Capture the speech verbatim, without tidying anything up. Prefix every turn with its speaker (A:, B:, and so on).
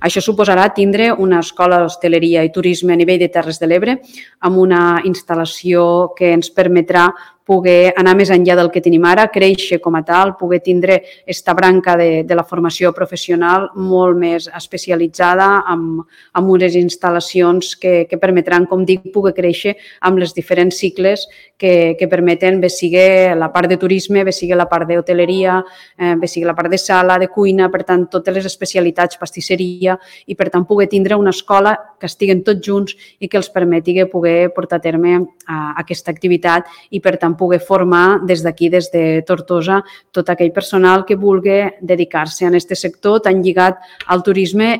A: Això suposarà tindre una escola d'hostaleria i turisme a nivell de Terres de l'Ebre amb una instal·lació que ens permetrà poder anar més enllà del que tenim ara, créixer com a tal, poder tindre esta branca de, de la formació professional molt més especialitzada amb, amb unes instal·lacions que, que permetran, com dic, poder créixer amb les diferents cicles que, que permeten, bé sigui la part de turisme, bé sigui la part d'hoteleria, eh, bé sigui la part de sala, de cuina, per tant, totes les especialitats, pastisseria, i per tant poder tindre una escola que estiguen tots junts i que els permeti poder portar a terme a, aquesta activitat i per tant poder formar des d'aquí, des de Tortosa, tot aquell personal que vulgui dedicar-se a aquest sector tan lligat al turisme